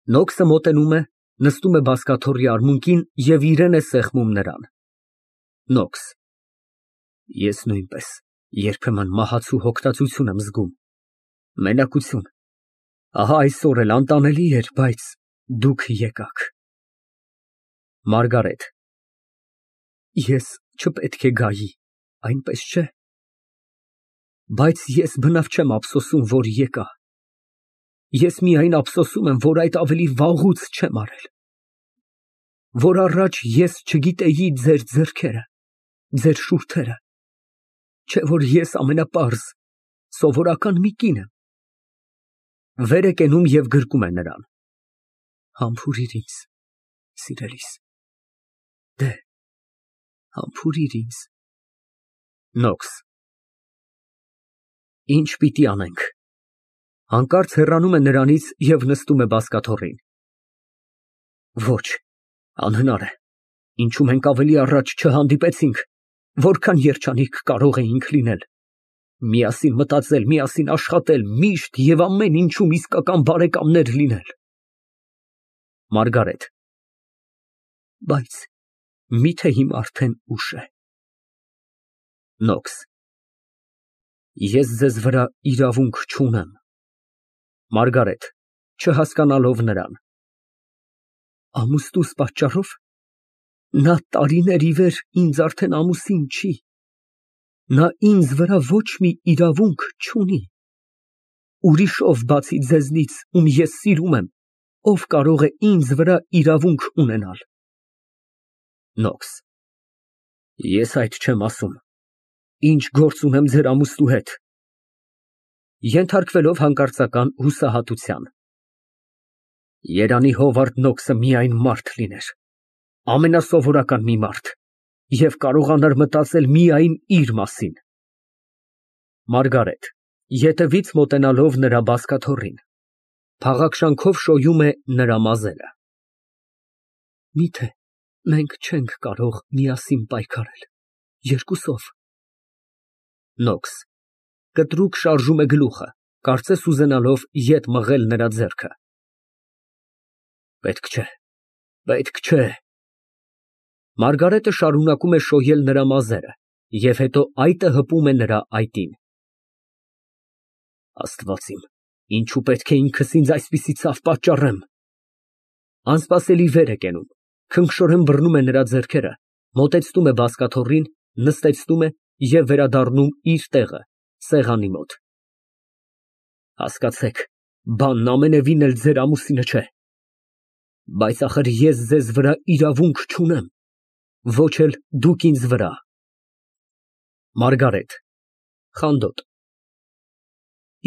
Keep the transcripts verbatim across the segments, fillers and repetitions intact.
Նոքսը մոտենում է, նստում է բազկաթոռի արմունկին և իրան է սեղմում նրան)։ Նոքս։ Ես նույնպես երբեմն մահացու հոգնածություն եմ զգում, մենակություն, ահա այսօր էլ անտանելի էր, բայց դուք եկաք։ ՄԱՐԳԱՐԵՏ ֊ Ես չպետք է գայի, այնպես չէ՞։ Բայց ես բնավ չեմ ափսոսում, որ եկա, ես միայն ափսոսում եմ, որ այդ ավելի վաղուց չեմ արել, որ առաջ ես չգիտեի ձեր ձեռքերը, ձեր շուրթերը, չէ՞ որ ես ամենապարզ, սովորական մի կին եմ։ (Վեր է կենում և գրկում է նրան) Համբուրիր ինձ, սիրելիս, դեհ, համբուրիր ինձ։ (Նոքս) Ի՞նչ պիտի անենք։ (Հանկարծ հեռանում է նրանից և նստում է բազկաթոռին) Ոչ, անհնար է, ինչու մենք ավելի առաջ չհանդիպեցինք, որքան երջանիկ կարող էինք լինել, միասին մտածել, միասին աշխատել, միշտ և ամեն ինչում իսկական բարեկամներ լինել։ ՄԱՐԳԱՐԵՏ ֊ Բայց մի՞թե հիմա արդեն ուշ է։ (Նոքս) Ես ձեզ վրա իրավունք չունեմ։ ՄԱՐԳԱՐԵՏ ֊ (Չհասկանալով նրան) Ամուսնուս պատճառո՞վ։ Նա տարիներ ի վեր ինձ արդեն ամուսին չի, նա ինձ վրա ոչ մի իրավունք չունի։ Ուրիշով, բացի ձեզնից, ում ես սիրում եմ, ո՞վ կարող է ինձ վրա իրավունք ունենալ։ (Նոքս) Ես այդ չեմ ասում, ինչ գործ ունեմ ձեր ամուսնու հետ։ (Ենթարկվելով հանկարծական հուսահատության) Երանի Հովարդ Նոքսը միայն մարդ լիներ, ամենասովորական մի մարդ, և կարողանար մտածել միայն իր մասին։ ՄԱՐԳԱՐԵՏ ֊ (Ետևից մոտենալով նրա բազկաթոռին, փաղաքշանքով շոյում է նրա մազերը) Միթե մենք չենք կարող միասին պայքարել, երկուսով։ (Նոքս) (Կտրուկ շարժում է գլուխը, կարծես ուզենալով ետ մղել նրա ձեռքը) Պետք չէ, պետք չէ։ (Մարգարիտը շարունակում է շոյել նրա մազերը և հետո այտը հպում է նրա այտին) Աստված իմ, ինչո՞ւ պետք է ինքս ինձ այսպիսի ցավ պատճառեմ։ (Անսպասելի վեր է կենում, քնքշորեն բռնում է նրա ձեռքերը, մոտեցնում է բազկաթոռին, նստեցնում է և վերադառնում իր տեղը, սեղանի մոտ) Հասկացեք, բանն ամենևին էլ ձեր ամուսինը չէ, բայց ախր ես ձեզ վրա իրավունք չունեմ, ոչ էլ դուք ինձ վրա։ ՄԱՐԳԱՐԵՏ ֊ (Խանդոտ)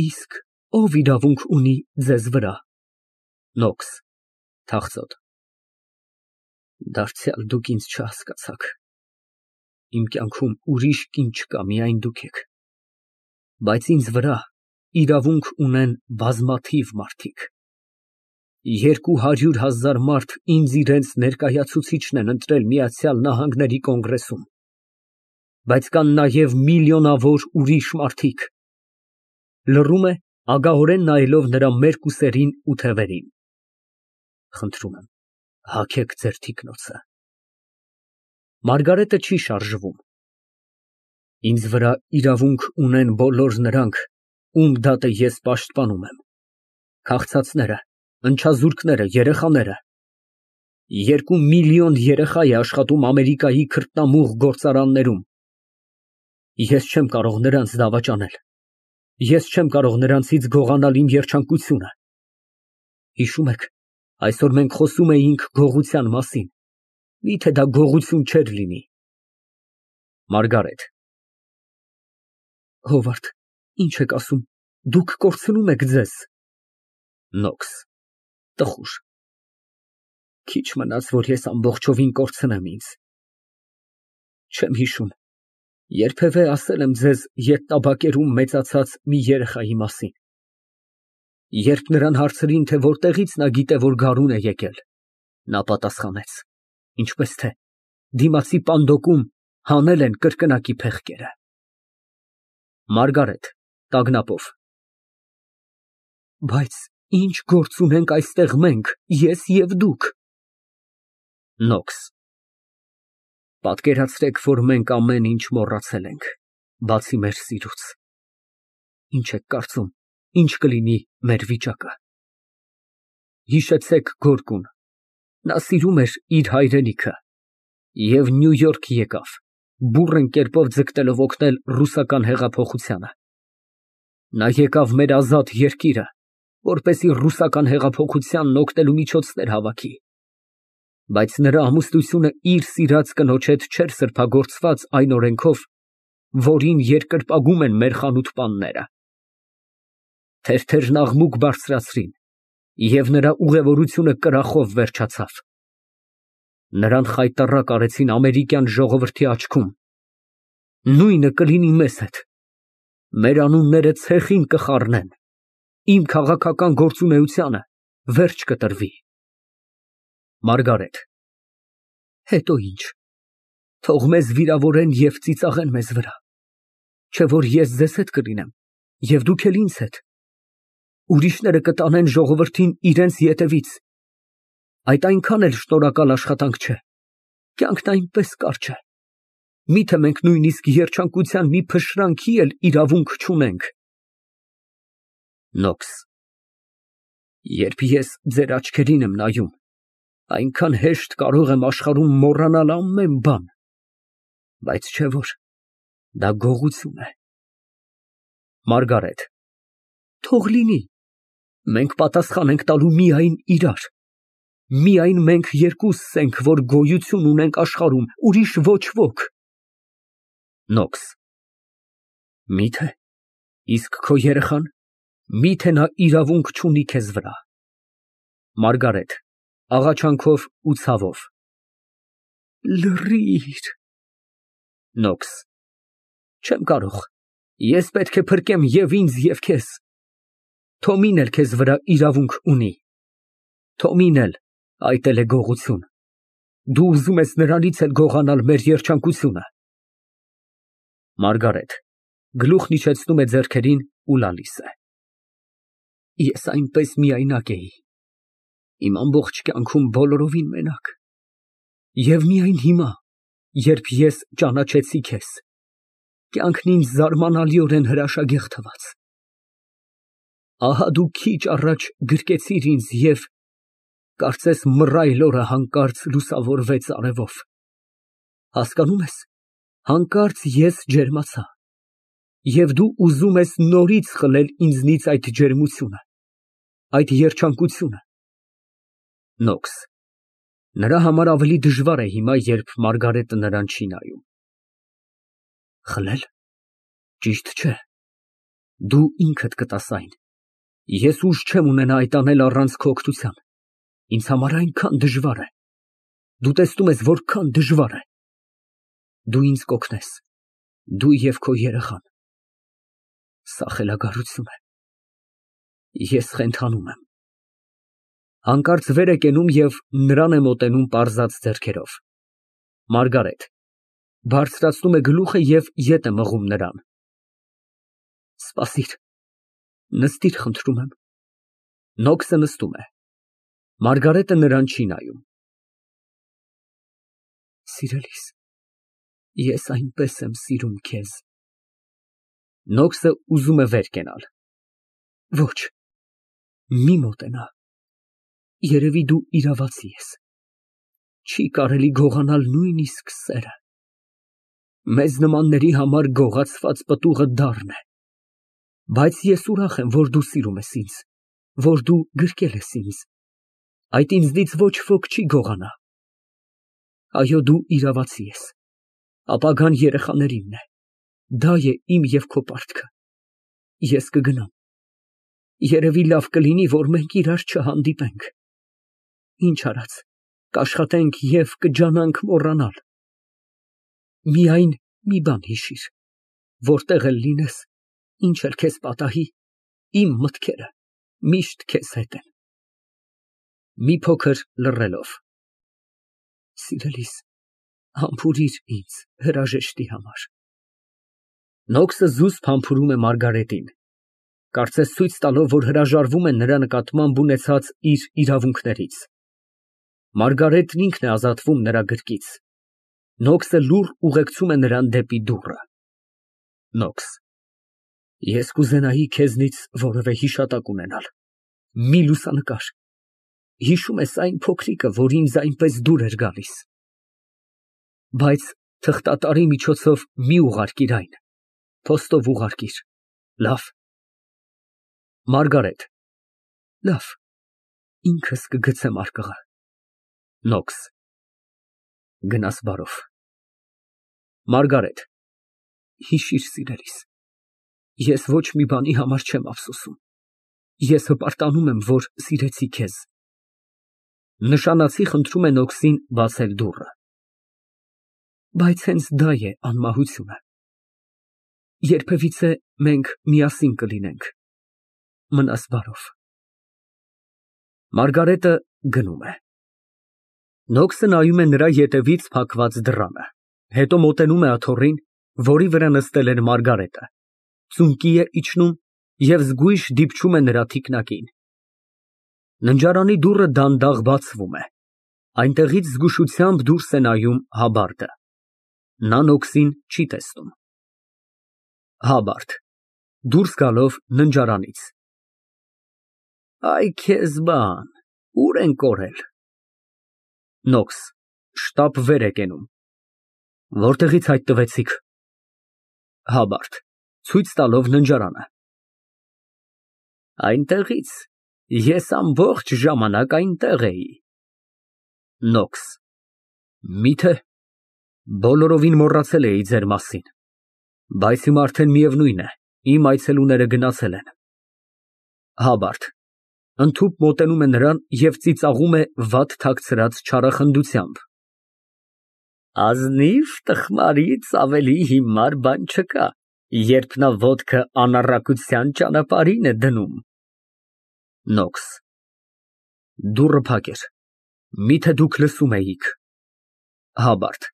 Իսկ ո՞վ իրավունք ունի ձեզ վրա։ (Նոքս) (Թախծոտ) Դարձյալ դուք ինձ չհասկացաք, իմ կյանքում ուրիշ կին չկա, միայն դուք եք, բայց ինձ վրա իրավունք ունեն բազմաթիվ մարդիկ։ Երկու հարյուր հազար մարդ ինձ իրենց ներկայացուցիչն են ընտրել Միացյալ Նահանգների կոնգրեսում, բայց կան նաև միլիոնավոր ուրիշ մարդիկ։ (Լռում է, ագահորեն նայելով նրա մերկ ուսերին ու թևերին) Խնդրում եմ, հագեք ձեր թիկնոցը։ (Մարգարիտը չի շարժվում) Ինձ վրա իրավունք ունեն բոլոր նրանք, ում դատը ես պաշտպանում եմ, քաղցածները, ընչազուրկները, երեխաները։ Երկու միլիոն երեխա է աշխատում Ամերիկայի քրտնամուղ գործարաններում։ Ես չեմ կարող նրանց դավաճանել, ես չեմ կարող նրանցից գողանալ իմ երջանկությունը։ Հիշո՞ւմ եք, այսօր մենք խոսում էինք գողության մասին, մի՞թե դա գողություն չէր լինի։ ՄԱՐԳԱՐԵՏ ֊ Հովարդ, ի՞նչ եք ասում, դուք կորցնում եք ձեզ։ (Նոքս) Տխուր։ Քիչ մնաց, որ ես ամբողջովին կորցնեմ ինձ։ Չեմ հիշում, երբևէ ասել եմ ձեզ ետ տաբակերում մեծացած մի երեխայի մասին։ Երբ նրան հարցրին, թե որտեղից նա գիտե, որ գարուն է եկել, նա պատասխանեց. ինչպես թե դիմացի պանդոկում հանել են կրկնակի փեղկերը։ ՄԱՐԳԱՐԵՏ ֊ (Տագնապով) Բայց Ինչ գործ ունենք այստեղ մենք, ես և դուք։ նոքս Պատկերացրեք, որ մենք ամեն ինչ մոռացել ենք, բացի մեր սիրուց։ Ինչ եք կարծում, ինչ կլինի մեր վիճակը։ Հիշեցեք Գորկուն, նա սիրում էր իր հայրենիքը և Նյու Յորք եկավ, բուռն կերպով ձգտելով օգնել ռուսական հեղափոխությանը։ Նա եկավ մեր ազատ երկիրը, որպեսզի ռուսական հեղափոխությանն օգնելու միջոցներ հավաքի, բայց նրա ամուսնությունը իր սիրած կնոջ հետ չէր սրբագործված այն օրենքով, որին երկրպագում են մեր խանութպանները։ Թերթերն աղմուկ բարձրացրին, և նրա ուղևորությունը կրախով վերջացավ։ Նրան խայտառակ արեցին ամերիկյան ժողովրդի աչքում։ Նույնը կլինի մեզ հետ։ Մեր անունները ցեխին կխառնեն, իմ քաղաքական գործունեությանը վերջ կտրվի։ ՄԱՐԳԱՐԵՏ ֊ Հետո ինչ, թող մեզ վիրավորեն և ծիծաղեն մեզ վրա, չէ որ ես ձեզ հետ կլինեմ, և դուք էլ ինձ հետ։ Ուրիշները կտանեն ժողովրդին իրենց ետևից, այդ այնքան էլ շնորհակալ աշխատանք չէ, կյանքն այնպես կարճ է, միթե մենք նույնիսկ երջանկության մի փշրանքի էլ իրավունք չունենք։ նոքս Երբ ես ձեր աչքերին եմ նայում, այնքան հեշտ կարող եմ աշխարհում մոռանալ ամեն բան, բայց չէ որ դա գողություն է։ ՄԱՐԳԱՐԵՏ ֊ Թող լինի, մենք պատասխան ենք տալու միայն իրար, միայն մենք երկուսս ենք, որ գոյություն ունենք աշխարհում, ուրիշ ոչ ոք։ նոքս Մի՞թե, իսկ քո երեխան, մի՞թե նա իրավունք չունի քեզ վրա։ ՄԱՐԳԱՐԵՏ ֊ (Աղաչանքով ու ցավով) Լռիր։ նոքս Չեմ կարող, ես պետք է փրկեմ և ինձ, և քեզ։ Թոմին էլ քեզ վրա իրավունք ունի։ Թոմին էլ, այդ էլ է գողություն։ Դու ուզում ես նրանից էլ գողանալ մեր երջանկությունը։ ՄԱՐԳԱՐԵՏ ֊ (Գլուխն իջեցնում է ձեռքերին ու լալիս է) Ես այնպես միայնակ էի, իմ ամբողջ կյանքում բոլորովին մենակ, և միայն հիմա, երբ ես ճանաչեցի քեզ, կյանքն ինձ զարմանալիորեն հրաշագեղ թվաց։ Ահա դու քիչ առաջ գրկեցիր ինձ և, կարծես մռայլ օրը հանկարծ լուսավորվեց արևով։ Հասկանում ես, հանկարծ ես ջերմացա, և դու ուզում ես նորից խլել ինձնից այդ ջերմությունը, այդ երջանկությունը։ նոքս Նրա համար ավելի դժվար է հիմա, երբ Մարգարիտը նրան չի նայում։ Խլել, ճիշտ չէ, դու ինքդ կտաս այն, ես ուժ չեմ ունենա այդ անել առանց քո օգնության, ինձ համար այնքան դժվար է, դու տեսնում ես որքան դժվար է, դու ինձ կօգնես, դու և քո երեխան, սա խելագարություն է, ես խենթանում եմ։ Հանկարծ վեր է կենում և նրան է մոտենում պարզած ձեռքերով։ ՄԱՐԳԱՐԵՏ ֊ (Բարձրացնում է գլուխը և ետ է մղում նրան) Սպասիր, նստիր խնդրում եմ։ (Նոքսը նստում է, Մարգարիտը նրան չի նայում)։ Սիրելիս, ես այնպես եմ սիրում քեզ։ (Նոքսը ուզում է վեր կենալ) Ոչ, մի մոտենա, երևի դու իրավացի ես, չի կարելի գողանալ նույնիսկ սերը։ Մեզ նմանների համար գողացված պտուղը դառն է, բայց ես ուրախ եմ, որ դու սիրում ես ինձ, որ դու գրկել ես ինձ, այդ ինձնից ոչ ոք չի գողանա։ Այո, դու իրավացի ես, ապագան երեխաներինն է, դա է իմ և քո պարտքը, ես կգնամ, երևի լավ կլինի, որ մենք իրար չհանդիպենք, ինչ արած, կաշխատենք և կջանանք մոռանալ։ Միայն մի բան հիշիր, որտեղ էլ լինես, ինչ էլ քեզ պատահի, իմ մտքերը միշտ քեզ հետ են։ (Մի փոքր լռելով) Սիրելիս, համբուրիր ինձ հրաժեշտի համար։ (Նոքսը զուսպ համբուրում է Մարգարիտին)։ կարծես ցույց տալով, որ հրաժարվում է նրա նկատմամբ ունեցած իր իրավունքներից։ Մարգարետն ինքն է ազատվում նրա գրկից։ Նոքսը լուռ ուղեկցում է նրան դեպի դուռը։ Նոքս, ես կուզենայի քեզնից որևէ հիշատակ ունենալ, մի լուսանկար։ Հիշում ես այն փոքրիկը, որ ինձ այնպես դուր էր գալիս։ Բայց թղթատարի միջոցով մի ուղարկիր այն, փոստով ուղարկիր, լավ։ Մարգարետ, լավ, ինքս կգցեմ արկղը։ Նոքս, գնաս բարով։ Մարգարետ, հիշիր, սիրելիս, ես ոչ մի բանի համար չեմ ափսոսում, ես հպարտանում եմ, որ սիրեցի քեզ։ Նշանացի խնդրում է Նոքսին բացել դուռը։ Բայց հենց դա է անմահությունը։ Երբևիցե մենք միասին կլինենք։ Մնաս բարով։ Մարգարետը գնում է։ Նոքսը նայում է նրա ետևից փակված դռանը, հետո մոտենում է աթոռին, որի վրա նստել էր Մարգարետը, ծունկի է իջնում և զգույշ դիպչում է նրա թիկնակին։ Ննջարանի դուռը դանդաղ բացվում է, այնտեղից զգուշությամբ դուրս է նայում Հաբարդը։ Նա Նոքսին չի տեսնում։ Հաբարդ դուրս գալով ննջարանից։ Այ քեզ բան, ուր են կորել։ Նոքս շտապ վեր է կենում։ Որտեղից հայտնվեցիք։ Հաբարդ ցույց տալով ննջարանը։ Այնտեղից, ես ամբողջ ժամանակ այնտեղ էի։ Նոքս միթե բոլորովին մոռացել էի ձեր մասին, բայց հիմա արդեն միևնույն է, իմ այցելուները գնացել են։ Հաբարդ ընդհուպ մոտենում է նրան և ծիծաղում է վատ թաքցրած չարախնդությամբ։ Ազնիվ տխմարից ավելի հիմար բան չկա, երբ նա ոտքը անառակության ճանապարհին է դնում։ Նոքս դուռը փակ էր, միթե դուք լսում էիք։ Հաբարդ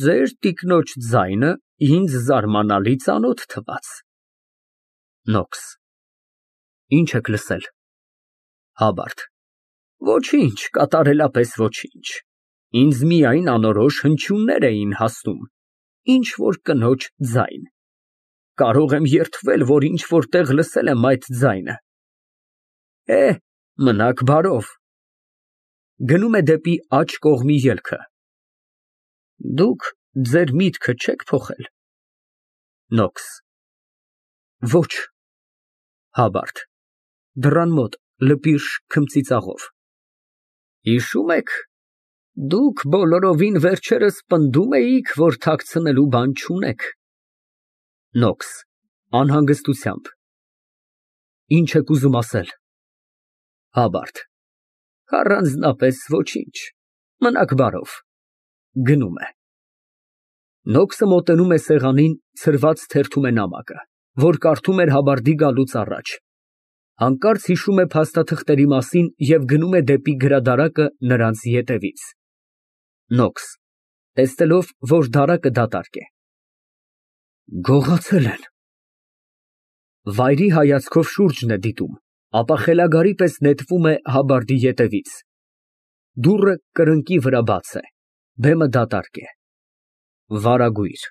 ձեր տիկնոջ ձայնը ինձ զարմանալի ծանոթ թվաց։ Նոքս ինչ եք լսել։ Հաբարդ ոչինչ, կատարելապես ոչինչ, ինձ միայն անորոշ հնչյուններ էին հասնում, ինչ որ կնոջ ձայն։ Կարող եմ երդվել, որ ինչ որտեղ լսել եմ այդ ձայնը։ Է, մնաք բարով։ Գնում է դեպի աջ կողմի ելքը։ Դուք ձեր միտքը չեք փոխել։ Նոքս ոչ։ Հաբարդ դռան մոտ լպիրշ քմծիծաղով։ Հիշում եք, դուք բոլորովին վերջերս պնդում էիք, որ թաքցնելու բան չունեք։ Նոքս անհանգստությամբ։ Ինչ եք ուզում ասել։ Հաբարդ առանձնապես ոչինչ, մնաք բարով։ Գնում է։ Նոքսը մոտենում է սեղանին, ցրված թերթում է նամակը, որ կարդում էր Հաբարդի գալուց առաջ։ Հանկարծ հիշում է փաստաթղթերի մասին և գնում է դեպի գրադարակը նրանց ետևից։ Նոքս տեսնելով, որ դարակը դատարկ է։ Գողացել են։ Վայրի հայացքով շուրջն է դիտում, ապա խելագարի պես նետվում է Հաբարդի ետևից։ Դուռը կրկնակի վրա բաց է, բեմը դատարկ է։ Վարագույր։